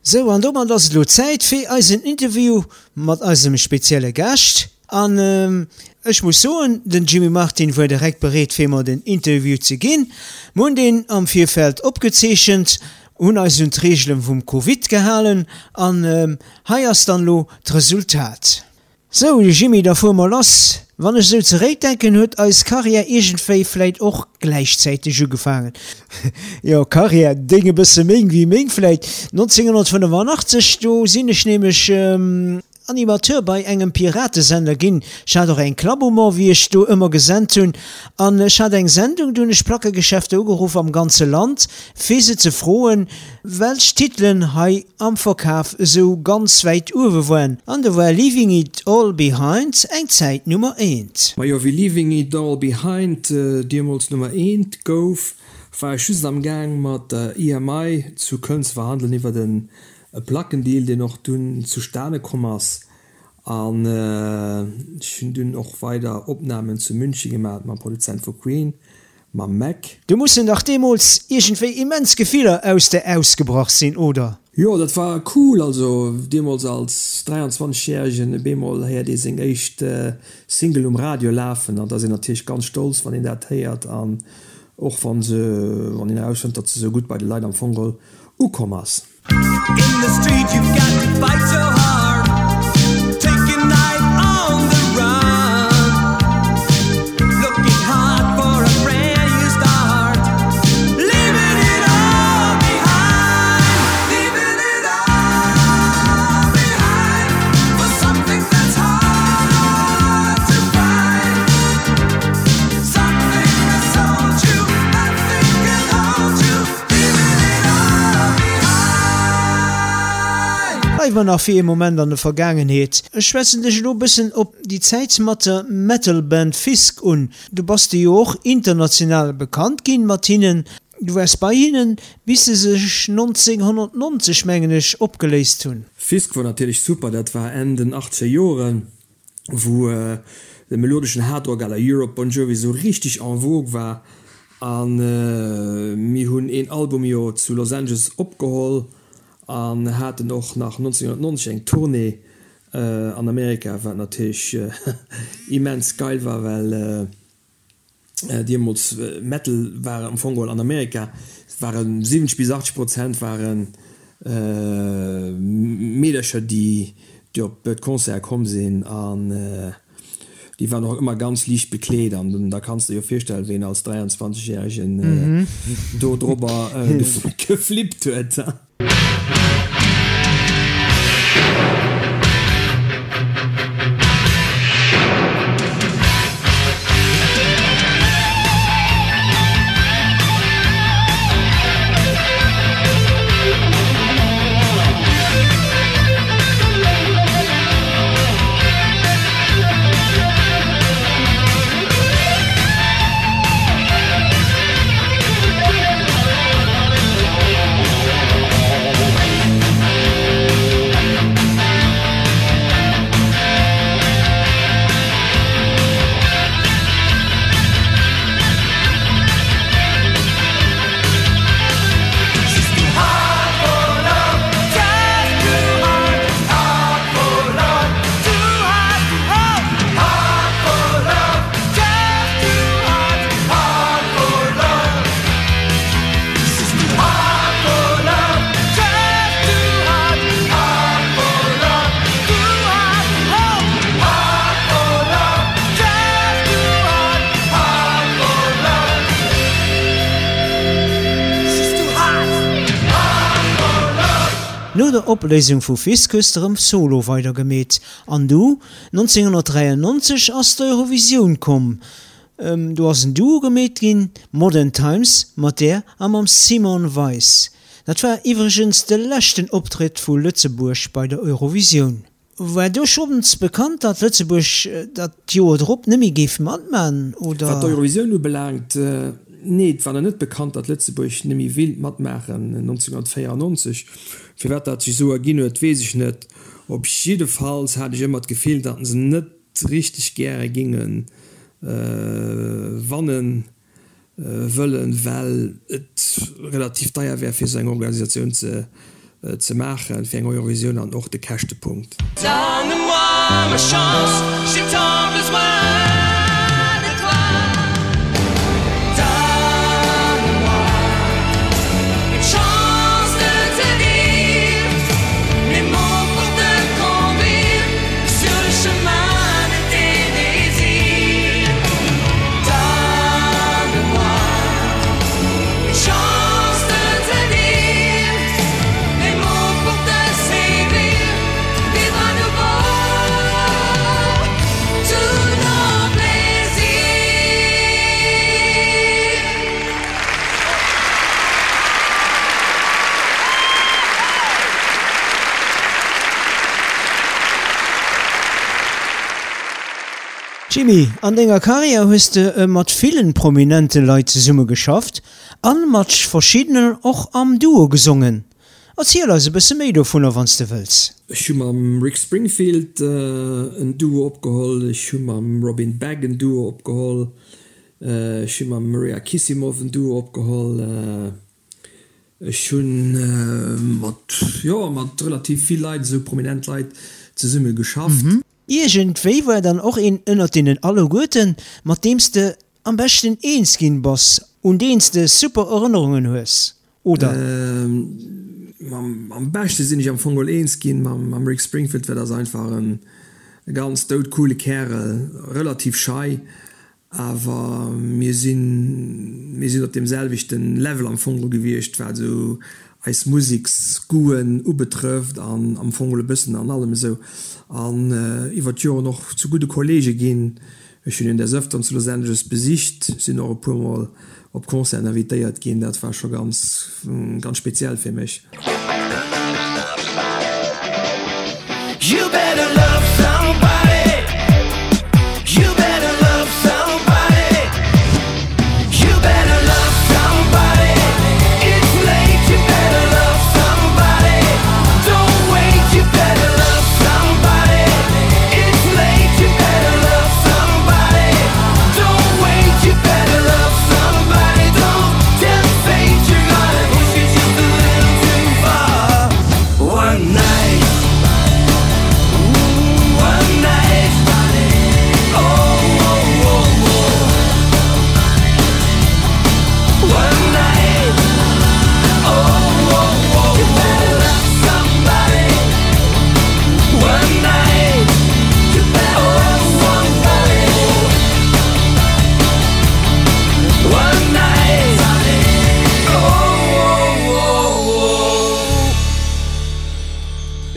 Sou, an domat ass et elo Zäit fir eisen Interview mat eisem spezielle Gaascht. An ech muss soen, den Jimmy Martin wuar direkt bereet fir mer den Interview ze ginn. Mer hunn deen am Virfeld opgezeechent, hunn eis un d'Reegele vum Covid gehalen an hei ass dann elo d'Resultat. Sou, Jimmy, da fuere mer lass. Wann ech esou zeréckdenken, huet eis Karriär iergendwéi vläit och gläichzäiteg ugefaangen. Jo, Karriär, deng e bësse méi wéi meng vläit. 1985, do sinn ech nämlech Animateur bei engem Piratesender ginn. Ech hat och eng Klapp um Ohr, wéi ech do ëmmer gesent hunn. An ech hat eng Sendung, do hunn ech Plackegeschäfter ugeruff am ganze Land, fir se ze froen, welch Titelen hei am Verkaf esou ganz wäit uewe woaren. An do war Leaving It All Behind eng Zäit Nummer eent. Majo, wéi Leaving It All Behind deemools Nummer eent gouf, war ech just am Gaang mat der EMI zu Köln ze verhandelen iwwert e Plackendeal, deen och dunn zustane komm ass. An ech hunn dunn och weider Opnamen zu München gemaat mam Produzent vu Queen, mam Mac. Do mussen dach deemools iergendwéi immens Gefiller aus der ausgebrach sinn, oder? Jo, dat war cool. Also deemools als 23 järegen, op eemol héiert ee seng éischt Single um Radio lafen an da ass een natierlech ganz stolz, wann een dat héiert an och wann se, wann een erausfënnt, datt se sou gutt bei de Leit am Fong geholl ukomm ass. Bleiwe mer nach fir ee Moment an der Vergaangenheet. Ech schwätzen dech elo e bëssen op déi Zäit mat der Metal-Band Fisk un. Du bass de jo och international bekannt ginn mat hinnen. Du waars bei hinnen, bis se sech 1990, mengen ech, opgeléist hunn. Fisk wor natierlech super, dat war Enn den achtzeger Joren. wou de melodeschen Hardrock à la Europe, Bon Jovi esou richteg en vogue war an mir hunn een Album jo zu Los Angeles opgeholl an haten och nach 1990 eng Tournée an Amerika, wat natierlech immens geil war, well Deemools Metal war am Fong geholl an Amerika ware 70 bis 80 Prozent ware Meedercher déi déi op d'Concerte komm sinn an déi waren och ëmmer ganz liicht bekleet an da kanns de jo virstellen wéi een als 23 järegen do drobber geflippt huet. No der Opléisung vu Fisk hues de rëm solo weider gemeet an du 1993 ass d'Eurovisioun komm. Do ass en Duo gemeet ginn, Modern Times, mat där a mam Simon Weiss. Dat war iwwregens de leschten Optrëtt vu Lëtzebuerg bei der Eurovisioun. War do schonns bekannt, datt Lëtzebuerg dat Joer drop net méi géif matman, oder? Wat d'Eurovisioun ubelaangt, nee, et war nach net bekannt, datt Lëtzebuerg net méi wéilt matmaachen 1994. Firwat dat sech esou erginn huet, weess ech net. Op jiddefalls hat ech ëmmer d'Gefill, datt se net richteg gäre ginge wanne wëllen, well et relativ deier wär fir esou eng Organisatioun ze. ze maachen fir eng Eurovisioun an och de Käschtepunkt. Jimmy, an denger Karriär hues de mat villen prominente Leit zesumme geschafft. An mat verschiddenen och am Duo gesongen. Erziel eis e bësse méi dovunner wanns de wëlls. Ech hu mam Rick Springfield en Duo opgeholl, ech hu mam Robin Begg en Duo opgeholl, ech hu mam Maria Kissimoff en Duo opgeholl, ech hu mat, jo, mat relativ vill Leit, esou prominent Leit zesumme geschafft. Iergendwéi war dann och een ënnert deenen alleguerten, mat deem s de am beschten eens ginn bass, un deen s de super Erënnerungen hues, oder? Am beschte sinn ech am Fong geholl eens ginn mam Rick Springfield, well dat ass einfach e ganz doudcoole Kärel, relativ schei, Awer mir sinn, mir sinn op deem selwechte Level am Fong geholl gewiescht, wat esou eis Museksgoûten ubetrëfft an am Fong geholl e bëssen an allem esou. An iwwer d'Joren och zu gudde Kollege ginn. Ech hunn hien des Ëfteren zu Los Angeles besicht, sinn och e puermol op Concerten invitéiert ginn. Dat war scho ganz, ganz speziell fir mech.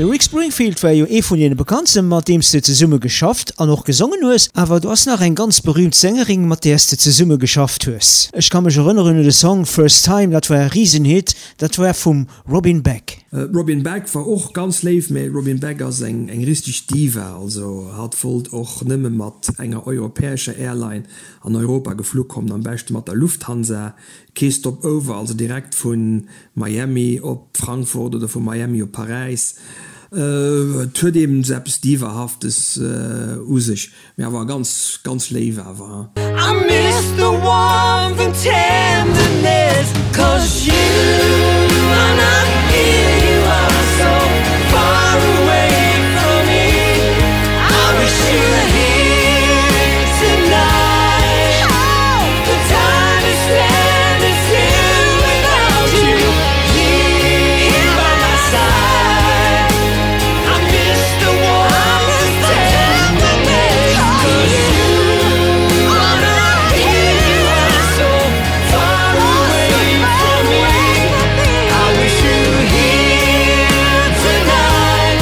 De Rick Springfield war jo ee vun deene bekanntsten, mat deem s de zesumme geschafft an och gesongen hues. Awer do ass nach eng ganz berüümt Sängerin, mat där s de zesumme geschafft hues. Ech ka mech erënneren un de Song First Time, dat war e Risenhit, dat war vum Robin Beck. D'Robin Beck war och ganz léif, mä d'Robin Beck ass eng eng richteg Diva, also hatt wollt och nëmme mat enger europäescher Airline an Europa geflu kommen, am beschte mat der Lufthansa, kee Stop-over, also direkt vu Miami op Frankfurt oder vu Miami op Paräis. Et huet eben esou eppes Divahaftes u sech. Mee awer ganz ganz léif awer. I miss the warmth and tenderness Cause you are not here You are so far away from me I wish you were here tonight The time is standing still without you Here by my side I miss the warmth and tenderness 'Cause you are not here You are so far away from me I wish you were here tonight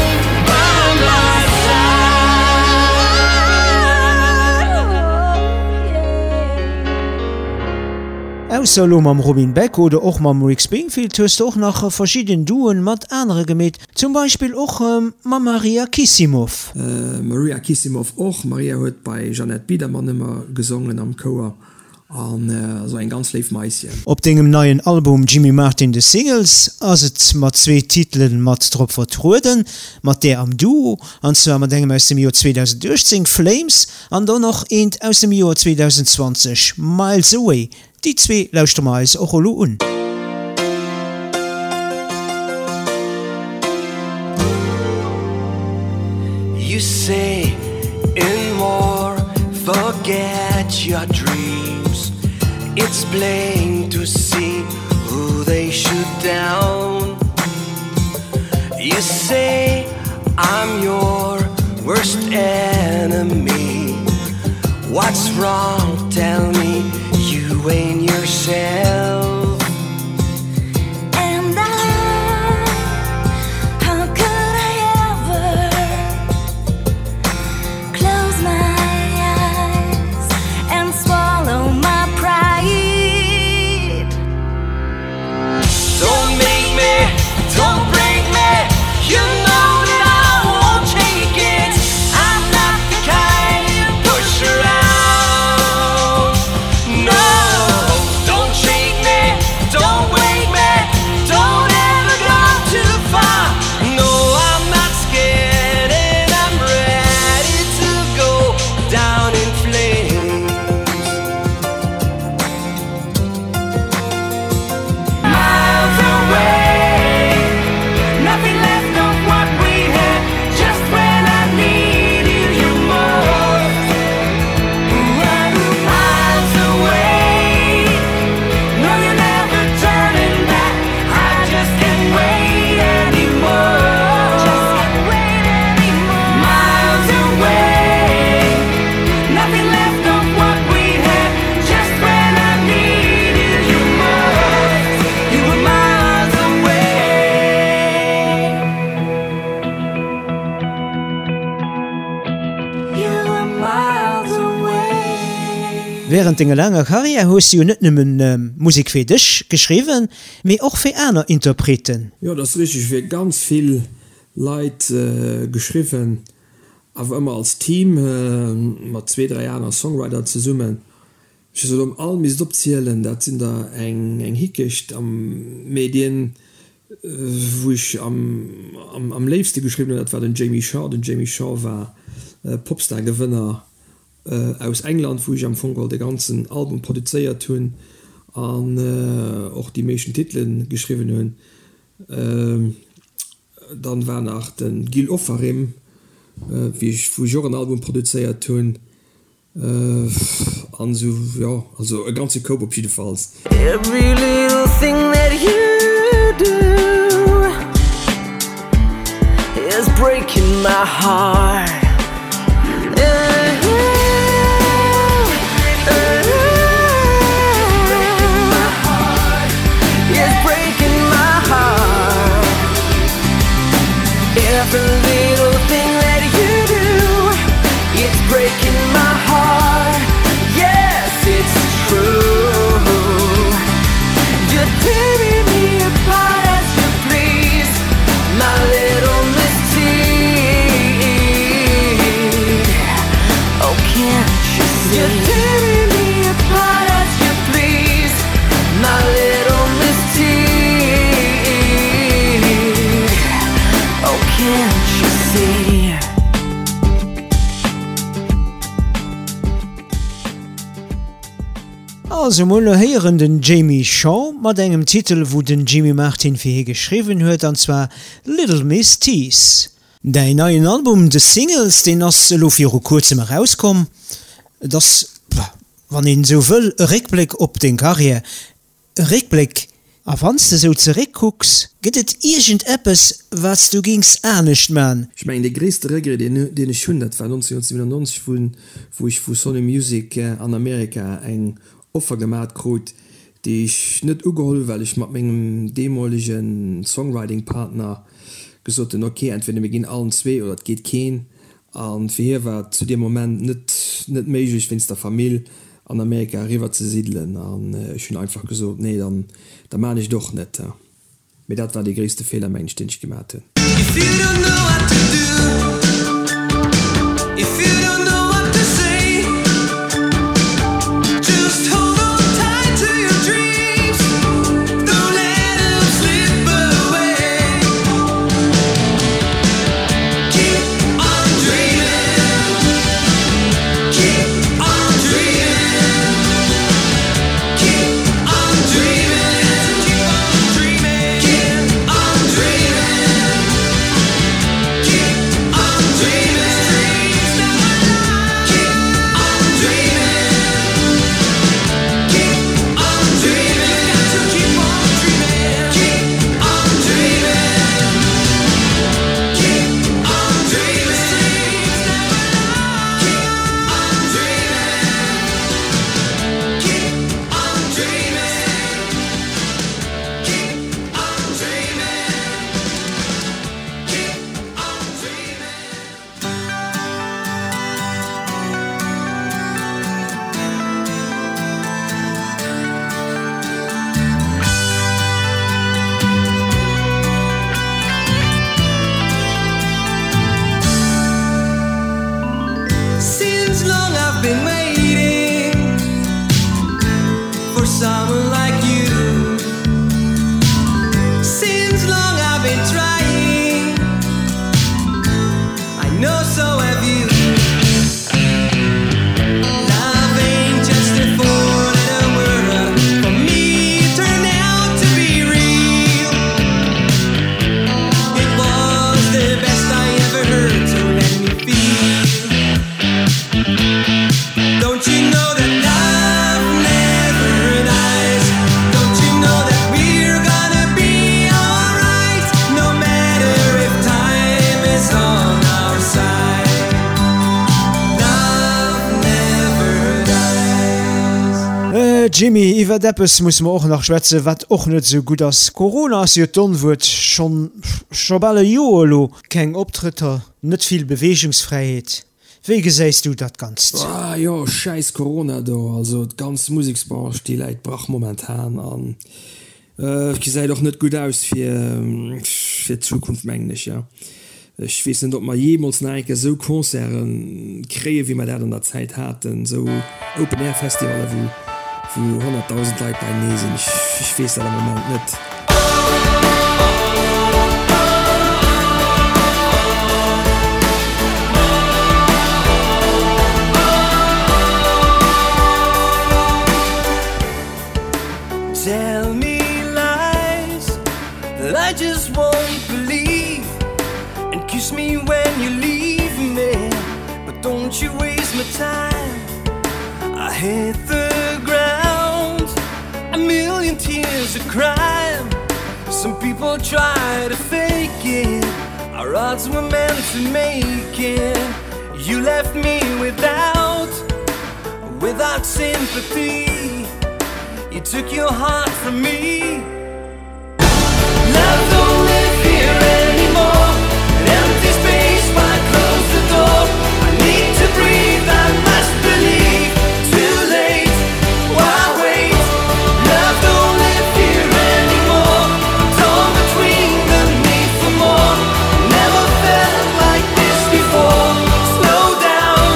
by my side. Ausser elo mam Robin Beck oder och mam Rick Springfield hues de och nach verschidden Duoen mat anere gemeet, Zum Beispill och mam Maria Kissimoff. Maria Kissimoff och. Maria huet bei Jeannette Biedermann ëmmer gesongen am Chouer an ass och eng ganz léif Maisschen. Op dengem neien Album Jimmy Martin The Singles ass et mat zwee Titelen mat drop vertrueden, mat där am Duo, an zwar mat engem aus dem Joer 2018, Flames, an dann och eent aus dem Joer 2020, Miles Away. Déi zwee lauschtere mer eis och elo un. You say in war, forget your dreams. It's plain to see who they shoot down. You say I'm your worst enemy. What's wrong? Tell me you ain't yourself. And I, how could I ever close my eyes and swallow my pride? Don't make me, don't break me, you know that I won't take it. I'm not the kind you push around. No, don't shake me, don't wake me, don't ever go too far. No, I'm not scared and I'm ready to go down in flames. Miles away, nothing left of what we had. Just when I needed you most. Miles away, no, you're never turning back. I just can't wait anymore. Just can't wait anymore. Miles away, nothing left of what we had. Just when I needed you most, you were miles away. You were miles away. Wärend denger laanger Karriär hues du jo net nëmmen Musek fir dech geschriwwen, mee och fir aner Interpreten. Jo, dat ass richteg. Ech hu fir ganz vill Leit geschriwwen, awer ëmmer als Team, mat zwee, dräi aner Songwriter zesummen. Ech hu se elo all misst opzielen, dat sinn der eng Hickecht. Mee deen, wou ech am léifste geschriwwen hunn, dat war den Jamie Shaw. Den Jamie Shaw war Popstar-Gewënner aus England, wou ech am Fong geholl de ganzen Album produzéiert hunn an och déi meeschten Titele geschriwwen hunn. Dann war nach de Gil Ofarim, wéi ech, wou ech och en Album produzéiert hunn. An esou, jo, also e ganze Koup op jiddefalls. Every little thing that you do is breaking my heart. It's breaking my heart. Every little thing that you do, it's breaking my heart. Yes, it's true. You're tearing me apart as you please, my little misdeed. Oh, can't you see? You're tearing me apart as you please, my little misdeed. Oh, can't you see? Also mol elo héieren den Jamie Shaw mat engem Titel wou den Jimmy Martin fir hie geschriwwen huet an zwar Little Miss Tease. Däin neien Album The Singles, deen ass elo viru kuerzem erauskomm. Et ass, wann een esou wëll, e Réckbléck op deng Karriär. E Réckbléck, a wann s de esou zeréckkucks, gëtt et iergend eppes, wat s du gings anescht man? Ech mengen, dee gréisste Regret, deen ech hunn, dat war 1997, wou ech vu Sony Music an Amerika eng Offer gemat krut, déi ech net ugeholl hunn, well ech mat mengem deemolege Songwriting-Partner gesot hunn, ok, entweder mir ginn allen zwee oder et geet keen. A fir hie war et zu deem Moment net net méiglech, wéinst der Famill an Amerika eriwwer ze siddelen. An ech hunn einfach gesot, nee, dann da maan ech et och net. Mee dat war dee gréisste Feeler, mengen ech, deen ech gemat hunn. If you don't know what to do, if you don't know what to say, just hold on tight to your dreams, don't let 'em slip away. Keep on dreaming, keep on dreaming, keep on dreaming, keep on dreaming, keep on dreaming, keep on. is on our side. Love never dies. Jimmy, iwwert eppes musse mer och nach schwätzen, wat och net esou gutt ass. Corona ass jo d'Onwuert, schonn scho bal e Joer elo. Keng Optrëtter, net vill Beweegungsfräiheet. Wéi gesäis du dat Ganzt? Ah jo, schäiss Corona do, also d'ganz Museksbranche déi läit brach momentan an et gesäit och net gutt aus fir fir d'Zukunft mengen ech, jo. Ech weess net ob mer jeemools nach eng Kéier esou Concerte kréie wéi mer dat an der Zäit haten, esou Open Air Festivalle wou wou 100.000 Leit beienee sinn. Ech weess dat am Moment net. Tell me lies that I just won't believe And kiss me when you leave me But don't you waste my time I hit the ground A million tears of crime Some people try to fake it Our odds were meant to make it You left me without Without sympathy You took your heart from me Love don't live here anymore An empty space, why close the door? I need to breathe, I must believe Too late, why wait? Love don't live here anymore Torn between the need for more Never felt like this before Slow down,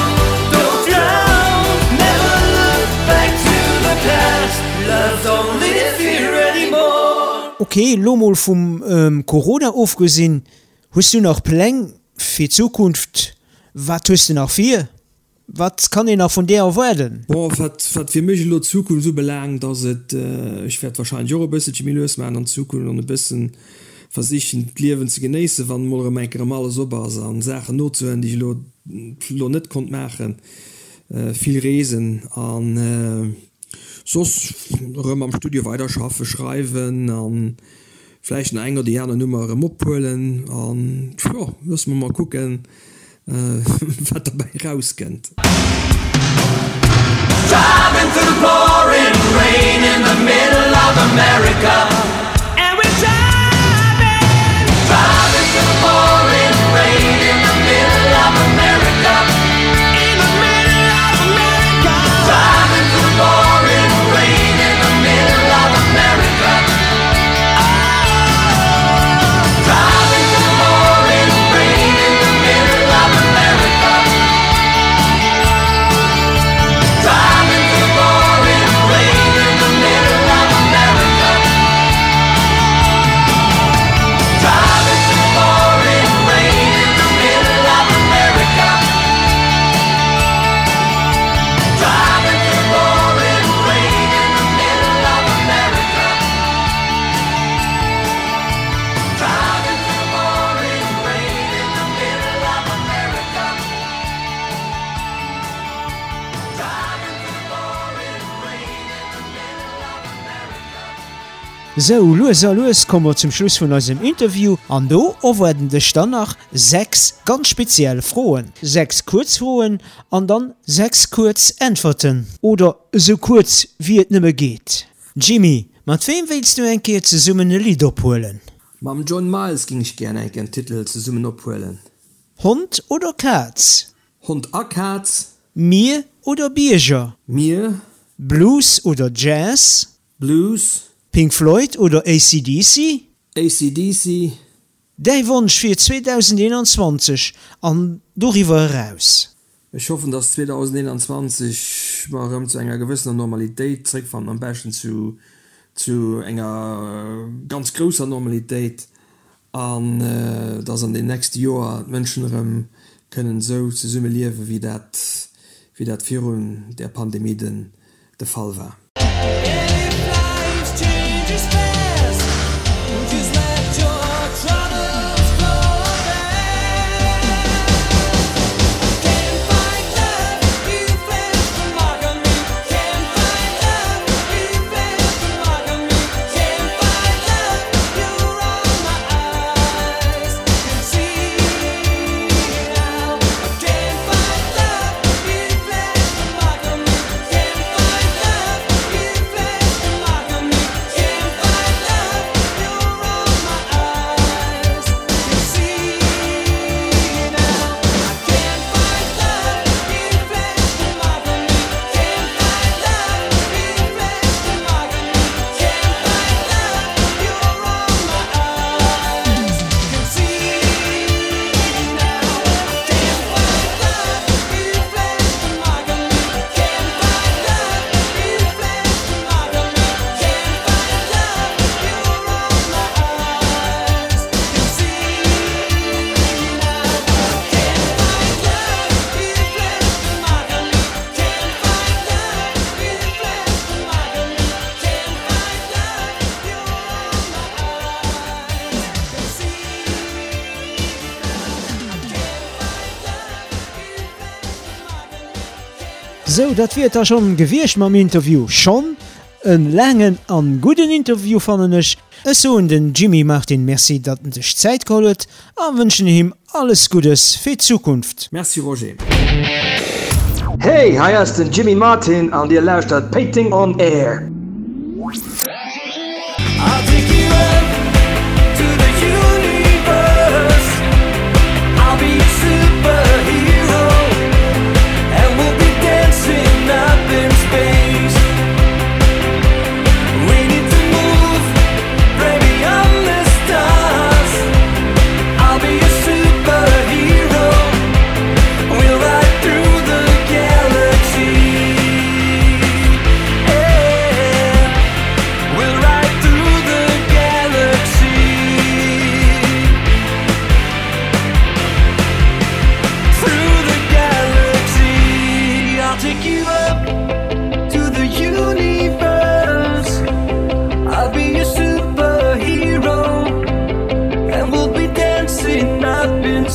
don't drown Never look back to the past Love don't live here anymore Ok, lo mol vum Corona ofgesinn, hues du nach Pläng fir d'Zukunft? Wat hues de nach vir? Wat kann een nach vun där erwaarden? Bon, wat wat fir mech elo d'Zukunft ubelaangt, ass et, ech wäert wahrscheinlech och e bësselche méi lues maachen an Zukunft an e bëssen versichen d'Liewen ze genéissen, wann emol erëm eng Kéier erëm alles op ass an Saachen nozehuelen, déi ech elo elo net konnt maachen, vill reesen an soss erëm am Studio weiderschaffen, schreiwen an vläicht nach eng oder déi aner Nummer erëm ophuelen an jo, loosse mer mol kucken, wat derbäi erauskënnt. Driving through the pouring rain in the middle of America And we're driving Driving through the pouring rain in the middle of America In the middle of America Driving through the pouring rain in the middle of America Driving through the pouring rain in the middle of America Driving through the pouring rain in the middle of America Driving through the pouring rain in the middle of America Driving through the pouring rain in the middle of America Driving through the pouring rain in the middle of America Driving through the pouring rain in the middle of America. Sou, lues a lues komme mer zum Schluss vun eisem Interview an do erwaarden dech dann nach 6 ganz speziell Froen. 6 kuerz Froen an dann 6 kuerz Äntwerten, oder esou kuerz wéi et nëmme geet. Jimmy, mat weem wéilts du eng Kéier zesummen e Lidd ophuelen? Mam John Miles ging ech gär eng Kéier en Titel zesummen ophuelen. Hond oder Kaz? Hond a Kaz. Mier oder Bierger? Mier. Blues oder Jazz? Blues. Pink Floyd oder AC/DC? AC/DC. Däi Wonsch fir 2021 an doriwwer eraus? Ech hoffen, dass 2021 mer erëm zu enger gewëssener Normalitéit zréckfannen, am beschten zu zu enger ganz grousser Normalitéit, an dass an den nächste Joer d'Mënschen erëm kënnen esou zesumme liewen, wéi dat wéi dat virun där Pandemie den de Fall war. Sou, dat wier et da schonn gewiescht mam Interview. Schonn en laangen an gudden Interview fannen ech. Ech soen den Jimmy Martin Merci datt en sech Zäit geholl huet a wënschen him alles Guddes fir d'Zukunft. Merci Roger. Hey, hei ass den Jimmy Martin an dir lauschtert Péiteng on Air.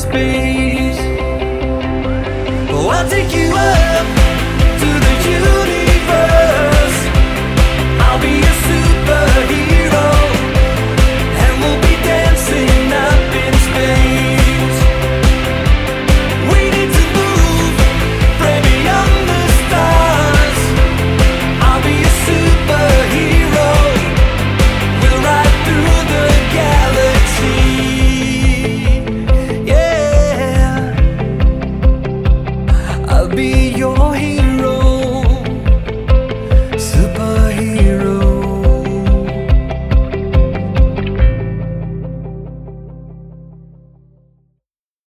Space. Oh, I'll take you up.